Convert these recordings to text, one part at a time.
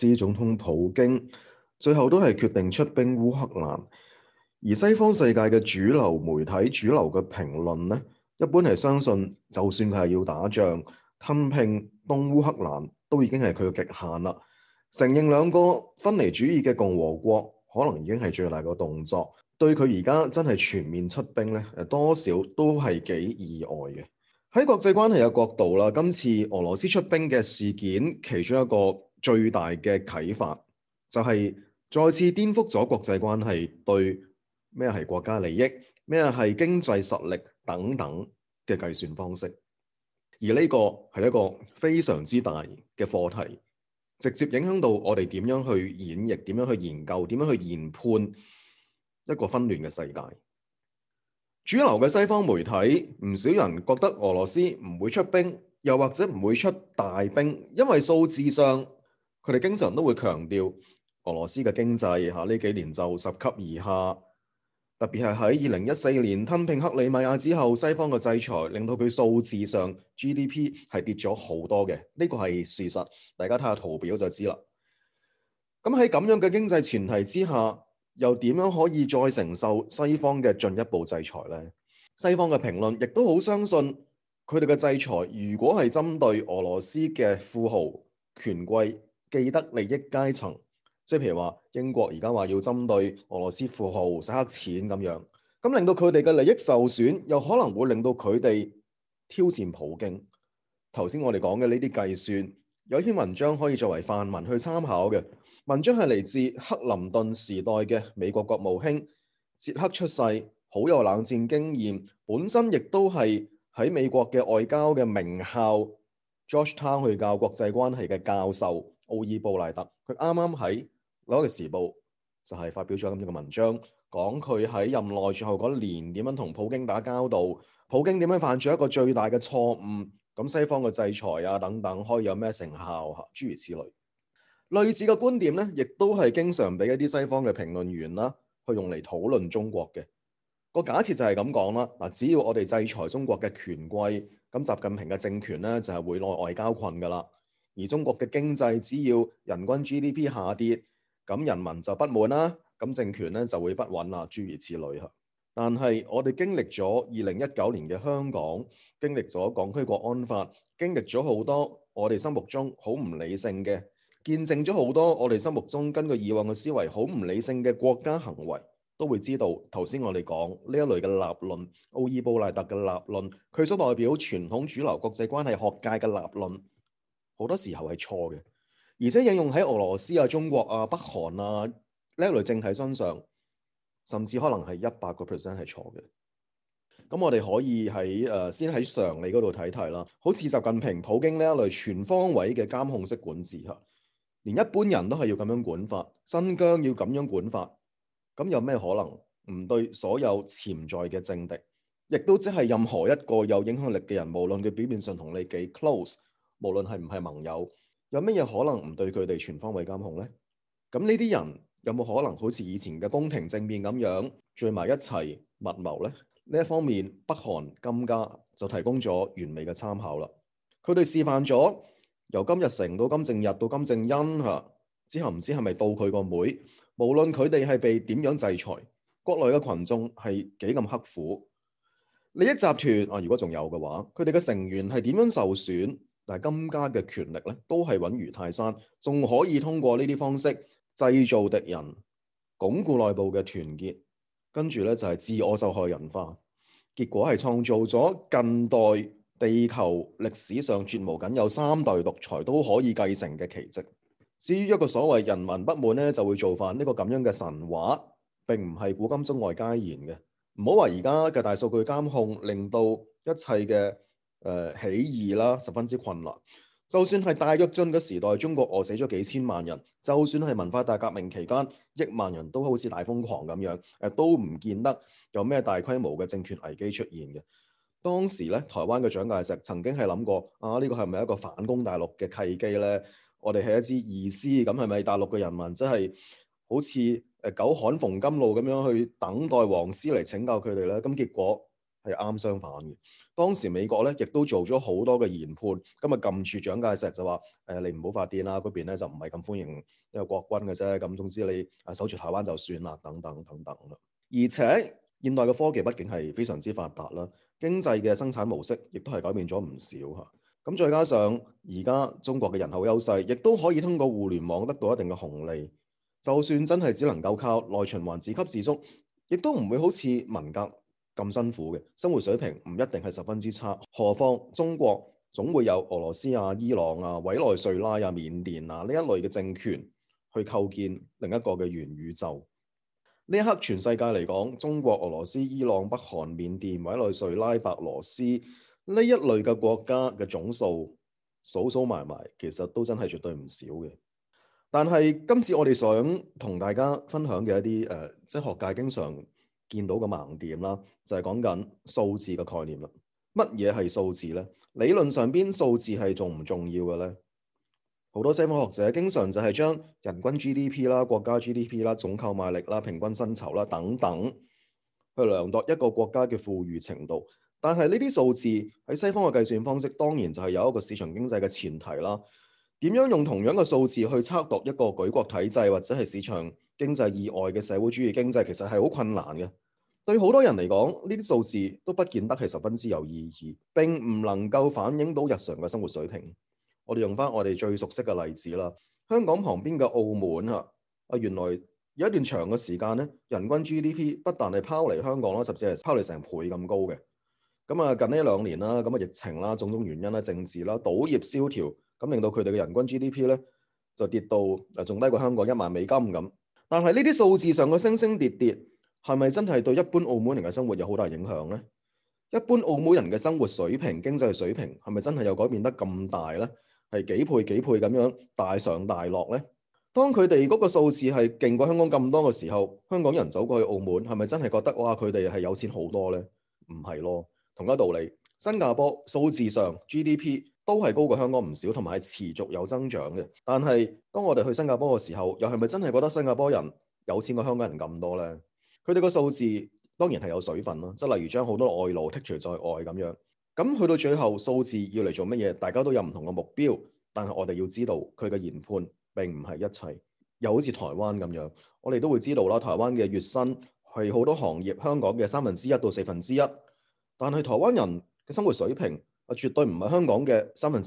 斯總統普京最後都係決定出兵烏克蘭，而西方世界嘅主流媒體、主流嘅評論呢，一般係相信，就算佢係要打仗吞併東烏克蘭，都已經係佢嘅極限啦。承認兩個分離主義嘅共和國，可能已經係最大嘅動作。對佢而家真係全面出兵呢，多少都係幾意外嘅。喺國際關係嘅角度啦，今次俄羅斯出兵嘅事件，其中一個最大嘅啟發就係再次顛覆咗國際關係對咩係國家利益、咩係經濟實力等等嘅計算方式。而呢個係一個非常之大嘅課題，直接影響到我哋點樣去演繹、點樣去研究、點樣去研判一個紛亂嘅世界。主流嘅西方媒體，唔少人覺得俄羅斯唔會出兵，又或者唔會出大兵，因為數字上佢哋經常都會強調俄羅斯嘅經濟呢幾年就拾級而下，特別係喺2014年吞併克里米亞之後，西方嘅制裁令到佢數字上 GDP 係跌咗好多嘅，呢個係事實，大家睇下圖表就知啦。咁喺咁樣嘅經濟前提之下，又點樣可以再承受西方嘅進一步制裁呢？西方嘅評論亦都好相信佢哋嘅制裁，如果係針對俄羅斯嘅富豪、權貴、既得利益階層，即係譬如話英國而家話要針對俄羅斯富豪洗黑錢咁樣，咁令到佢哋嘅利益受損，又可能會令到佢哋挑戰普京。頭先我哋講嘅呢啲計算，有一篇文章可以作為範文去參考嘅。文章係嚟自克林頓時代嘅美國國務卿，捷克出世，好有冷戰經驗，本身亦都係喺美國嘅外交嘅名校 Georgetown 去教國際關係嘅教授奧爾布賴特。佢啱啱喺紐約時報就係發表咗咁樣嘅文章，講佢喺任內最後嗰年點樣同普京打交道，普京點樣犯咗一個最大嘅錯誤，咁西方嘅制裁啊等等可以有咩成效，諸如此類。類似嘅觀點咧，亦都係經常俾一啲西方嘅評論員啦，去用嚟討論中國嘅。個假設就係咁講啦。嗱，只要我哋制裁中國嘅權貴，咁習近平嘅政權咧就係會內外交困噶啦。而中國嘅經濟只要人均 GDP 下跌，咁人民就不滿啦，咁政權咧就會不穩啦，諸如此類嚇。但係我哋經歷咗2019年嘅香港，經歷咗港區國安法，經歷咗好多我哋心目中好唔理性嘅，見證咗好多我哋心目中根據以往嘅思維好唔理性嘅國家行為，都會知道頭先我哋講呢一類嘅立論，奧爾布賴特嘅立論，佢所代表傳統主流國際關係學界嘅立論，好多時候係錯嘅，而且應用喺俄羅斯啊、中國啊、北韓啊呢一類政體身上，甚至可能係100% 係錯嘅。咁我哋可以先喺常理嗰度睇睇啦，好似習近平、普京呢一類全方位嘅監控式管治嚇。連一般人都係要咁樣管法，新疆要咁樣管法，咁有咩可能唔對所有潛在嘅政敵，亦都即係任何一個有影響力嘅人，無論佢表面上同你幾 close，無論係唔係盟友，有咩嘢可能唔對佢哋全方位監控呢？咁呢啲人有冇可能好似以前嘅宮廷政變咁樣聚埋一齊密謀呢？呢一方面，北韓金家就提供咗完美嘅參考啦。佢哋示範咗由金日成到金正日到金正恩嚇，之後唔知係咪到佢個妹，無論佢哋係被點樣制裁，國內嘅群眾係幾咁刻苦，利益集團啊，如果仲有嘅話，佢哋嘅成員係點樣受損，但係金家嘅權力咧都係穩如泰山，仲可以通過呢啲方式製造敵人，鞏固內部嘅團結，跟住咧就係自我受害人化，結果係創造咗近代地球歷史上絕無僅有3代獨裁都可以繼承嘅奇蹟。至於一個所謂人民不滿咧，就會造反呢個咁樣嘅神話，並唔係古今中外皆然嘅。唔好話而家嘅大數據監控令到一切嘅起義啦十分之困難。就算係大躍進嘅時代，中國餓死咗幾千萬人；就算係文化大革命期間，億萬人都好似大瘋狂咁樣，都唔見得有咩大規模嘅政權危機出現嘅。當時咧，台灣嘅蔣介石曾經係諗過啊，呢個係咪一個反攻大陸嘅契機呢？我哋係一支義師，咁係咪大陸嘅人民真係好似久旱逢甘露咁樣去等待黃絲嚟拯救佢哋呢？咁結果係啱相反嘅。當時美國咧亦都做咗好多嘅研判，咁啊撳住蔣介石就話你唔好發電啦，嗰邊咧就唔係咁歡迎呢個國軍嘅啫。咁總之你守住台灣就算啦，等等等等啦。而且現代嘅科技畢竟係非常之發達啦，經濟嘅生產模式亦都係改變咗唔少嚇。咁再加上而家中國嘅人口優勢，亦都可以通過互聯網得到一定嘅紅利。就算真係只能夠靠內循環自給自足，亦都唔會好似文革咁辛苦嘅，生活水平唔一定係十分之差。何況中國總會有俄羅斯啊、伊朗啊、委內瑞拉啊、緬甸啊呢一類嘅政權去構建另一個嘅元宇宙。呢一刻全世界嚟講，中國、俄羅斯、伊朗、北韓、緬甸、委內瑞拉、白羅斯呢一類嘅國家嘅總數數數埋埋，其實都真係絕對唔少嘅。但係今次我哋想同大家分享嘅一啲即係學界經常見到嘅盲點啦，就係講緊數字嘅概念啦。乜嘢係數字呢？理論上邊數字係重唔重要嘅呢？好多西方學者經常就係將人均 GDP 啦、國家 GDP 啦、總購買力啦、平均薪酬啦等等去量度一個國家嘅富裕程度。但係呢啲數字喺西方嘅計算方式，當然就係有一個市場經濟嘅前提啦。點樣用同樣嘅數字去測度一個舉國體制或者係市場經濟以外嘅社會主義經濟，其實係好困難嘅。對好多人嚟講，呢啲數字都不見得係十分之有意義，並唔能夠反映到日常嘅生活水平。我哋用翻我哋最熟悉嘅例子啦，香港旁邊嘅澳門原來有一段長嘅時間咧，人均 GDP 不但係拋離香港啦，甚至係拋離成倍咁高嘅。咁近呢2年啦，咁疫情啦，種種原因啦，政治啦，賭業蕭條，咁令到佢哋嘅人均 GDP 咧就跌到仲低過香港$10,000咁。但係呢啲數字上嘅升升跌跌，係咪真係對一般澳門人嘅生活有好大影響呢？一般澳門人嘅生活水平、經濟水平係咪真係有改變得咁大呢？係幾倍幾倍咁樣大上大落呢？當佢哋嗰個數字係勁過香港咁多嘅時候，香港人走過去澳門係咪真係覺得哇佢哋係有錢好多呢？唔係咯。同一道理，新加坡數字上 GDP 都係高過香港唔少，同埋係持續有增長嘅。但係當我哋去新加坡嘅時候，又係咪真係覺得新加坡人有錢過香港人咁多呢？佢哋個數字當然係有水分啦，即係例如將好多外勞剔除在外咁樣。咁去到最後，數字要嚟做乜嘢？大家都有唔同嘅目標，但係我哋要知道佢嘅研判並唔係一切。又好似台灣咁樣，我哋都會知道啦，台灣嘅月薪係好多行業香港嘅1/3到1/4。但係台灣人嘅生活水平絕對唔係香港嘅1/3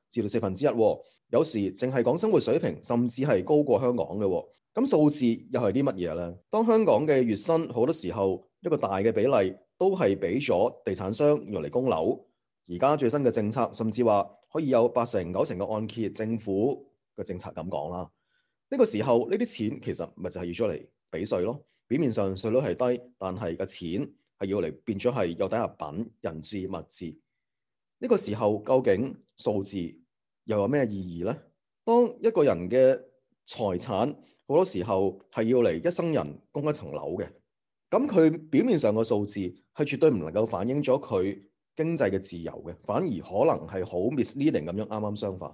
至到1/4。有時淨係講生活水平，甚至係高過香港嘅。咁數字又係啲乜嘢呢？當香港嘅月薪好多時候一個大嘅比例都係俾咗地產商用嚟供樓。而家最新嘅政策甚至話可以有8成9成嘅按揭，政府嘅政策咁講啦。呢個時候呢啲錢其實咪就係要出嚟俾稅咯。表面上稅率係低，但係個錢係要嚟變咗係有抵押品、人質、物質。呢個時候究竟數字又有咩意義呢？當一個人嘅財產好多時候係要嚟一生人供一層樓嘅，咁佢表面上嘅數字係絕對唔能夠反映咗佢經濟嘅自由嘅，反而可能係好 misleading 咁樣，啱啱相反。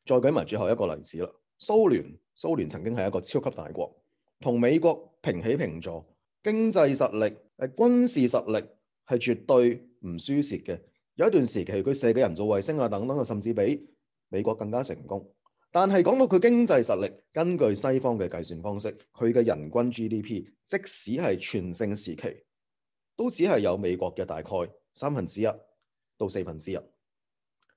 再舉埋最後一個例子啦，蘇聯曾經係一個超級大國，同美國平起平坐，經濟實力、軍事實力係絕對唔輸蝕嘅。有一段時期佢射嘅人造衛星等等，甚至比美國更加成功。但係講到佢經濟實力，根據西方嘅計算方式，佢嘅人均 GDP 即使係全盛時期，都只係有美國嘅大概1/3到1/4。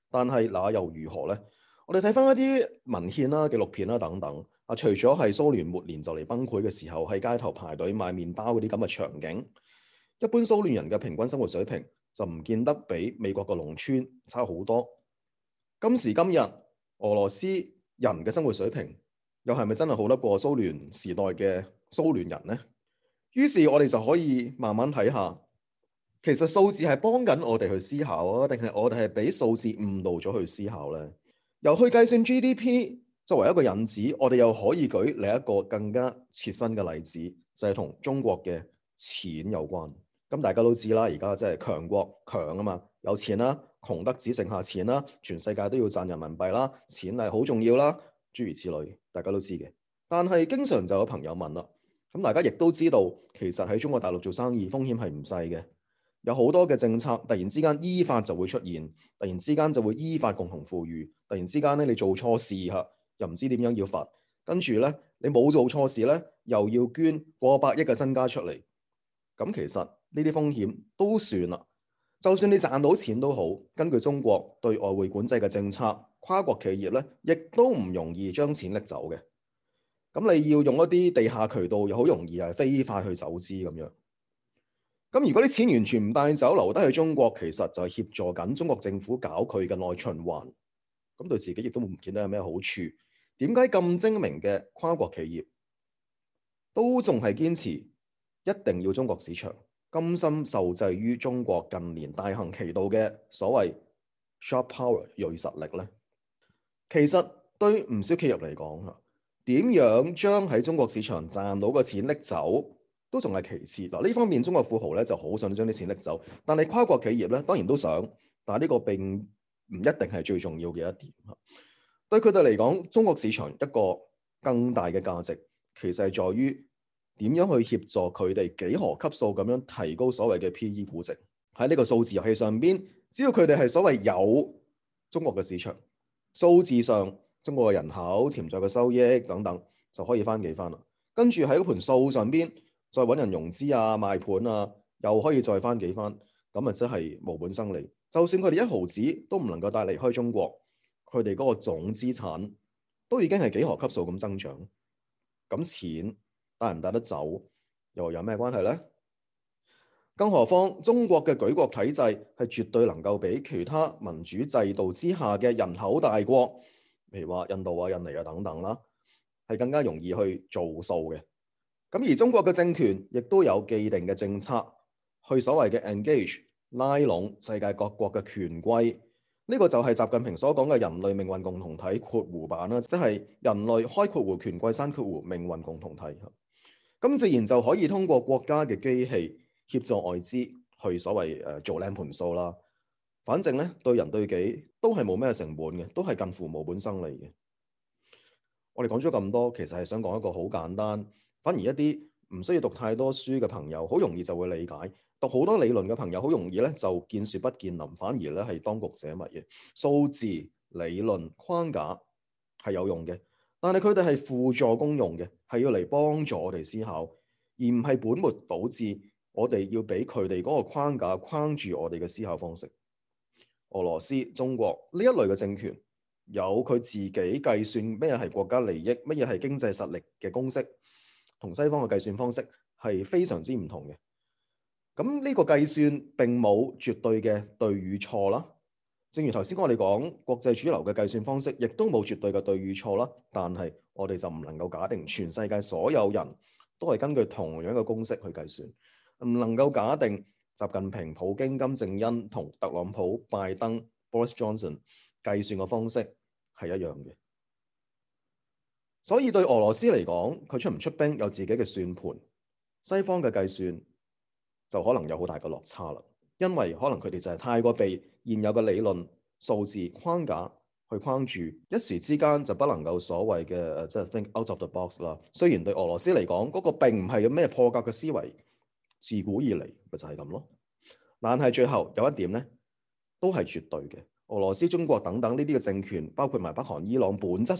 但係那又如何呢？我哋睇翻一啲文獻啦、紀錄片啦等等，除咗係蘇聯末年就嚟崩潰嘅時候喺街頭排隊買麵包嗰啲咁嘅場景，一般蘇聯人嘅平均生活水平就唔見得比美國嘅農村差好多。今時今日俄羅斯人嘅生活水平又係咪真係好得過蘇聯時代嘅蘇聯人呢？於是我哋就可以慢慢睇下，其實數字係幫緊我哋去思考啊，定係我哋係俾數字誤導咗去思考呢？由去計算 GDP 作為一個引子，我哋又可以舉另一個更加切身嘅例子，就係同中國嘅錢有關。咁大家都知啦，而家即係強國強啊嘛，有錢啦，窮得只剩下錢啦，全世界都要賺人民幣啦，錢係好重要啦，諸如此類，大家都知嘅。但係經常就有朋友問啦，咁大家亦都知道，其實喺中國大陸做生意風險係唔細嘅。有好多嘅政策突然之間依法就會出現，突然之間就會依法共同富裕，突然之間咧你做錯事嚇，又唔知點樣要罰，跟住咧你冇做錯事咧，又要捐過百億嘅身家出嚟，咁其實呢啲風險都算啦。就算你賺到錢都好，根據中國對外匯管制嘅政策，跨國企業咧亦都唔容易將錢拎走嘅。咁你要用一啲地下渠道，又好容易係非法去走資咁樣。咁如果啲錢完全唔帶走，留低喺中國，其實就係協助緊中國政府搞佢嘅內循環。咁對自己亦都唔見得有咩好處。點解咁精明嘅跨國企業都仲係堅持一定要中國市場，甘心受制於中國近年大行其道嘅所謂 sharp power 銳實力呢？其實對唔少企業嚟講啊，點樣將喺中國市場賺到嘅錢拎走，都仲係其次。嗱，呢方面中國富豪咧就好想將啲錢拎走，但係跨國企業咧當然都想，但係呢個並唔一定係最重要嘅一點。對佢哋嚟講，中國市場一個更大嘅價值，其實係在於點樣去協助佢哋幾何級數咁樣提高所謂嘅 PE 估值。喺呢個數字遊戲上邊，只要佢哋係所謂有中國嘅市場，數字上中國嘅人口、潛在嘅收益等等，就可以翻幾番啦。跟住喺嗰盤數上邊，再揾人融資啊、賣盤啊，又可以再翻幾番，咁啊真係無本生利。就算佢哋一毫子都唔能夠帶離開中國，佢哋嗰個總資產都已經係幾何級數咁增長。咁錢帶唔帶得走，又有咩關係呢？更何況中國嘅舉國體制係絕對能夠比其他民主制度之下嘅人口大國，譬如話印度啊、印尼啊等等啦，係更加容易去做數嘅。咁而中國嘅政權亦都有既定嘅政策，去所謂嘅 engage 拉攏世界各國嘅權貴。呢個就係習近平所講嘅人類命運共同體括弧版啦，即係人類開括弧權貴閂括弧命運共同體。咁自然就可以通過國家嘅機器協助外資去所謂做靚盤數啦。反正咧對人對己都係冇咩成本嘅，都係近乎無本生利嘅。我哋講咗咁多，其實係想講一個好簡單，反而一啲唔需要讀太多書嘅朋友，好容易就會理解。讀好多理論嘅朋友，好容易咧就見樹不見林，反而咧係當局者迷嘅。數字理論框架係有用嘅，但係佢哋係輔助功用嘅，係要嚟幫助我哋思考，而唔係本末倒置。我哋要俾佢哋嗰個框架框住我哋嘅思考方式。俄羅斯、中國呢一類嘅政權，有佢自己計算咩係國家利益，乜嘢係經濟實力嘅公式，同西方嘅計算方式係非常之唔同嘅。咁呢個計算並冇絕對嘅對與錯啦。正如頭先我哋講，國際主流嘅計算方式亦都冇絕對嘅對與錯啦。但係我哋就唔能夠假定全世界所有人都係根據同樣嘅公式去計算，唔能夠假定習近平、普京、金正恩同特朗普、拜登、Boris Johnson 計算嘅方式係一樣嘅。所以對俄羅斯嚟講，佢出唔出兵有自己嘅算盤，西方嘅計算就可能有好大嘅落差啦。因為可能佢哋就係太過被現有嘅理論數字框架去框住，一時之間就不能夠所謂嘅即係 think out of the box 啦。雖然對俄羅斯嚟講，嗰個並唔係有咩破格嘅思維，自古以嚟咪就係咁咯。但係最後有一點咧，都係絕對嘅。俄羅斯、中國等等呢啲嘅政權，包括埋北韓、伊朗，本質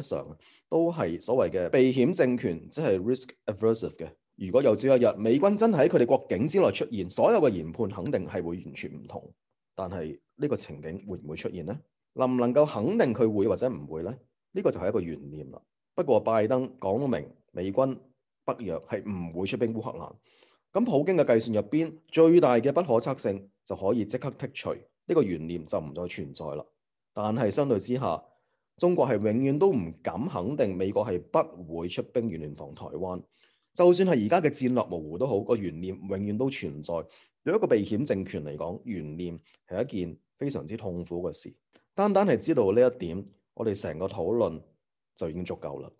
上都係所謂嘅避險政權，即係 risk aversive 嘅。如果有朝一日美軍真係喺佢哋國境之內出現，所有嘅研判肯定係會完全唔同。但係呢個情景會唔會出現呢？能唔能夠肯定佢會或者唔會呢？呢個就係一個懸念啦。不過拜登講明美軍北約係唔會出兵烏克蘭，咁普京嘅計算入邊最大嘅不可測性就可以即刻剔除，呢個懸念就唔再存在啦。但係相對之下，中國係永遠都唔敢肯定美國係不會出兵遠聯防台灣。就算係而家嘅戰略模糊都好，個懸念永遠都存在。對一個避險政權嚟講，懸念係一件非常之痛苦嘅事。單單係知道呢一點，我哋成個討論就已經足夠啦。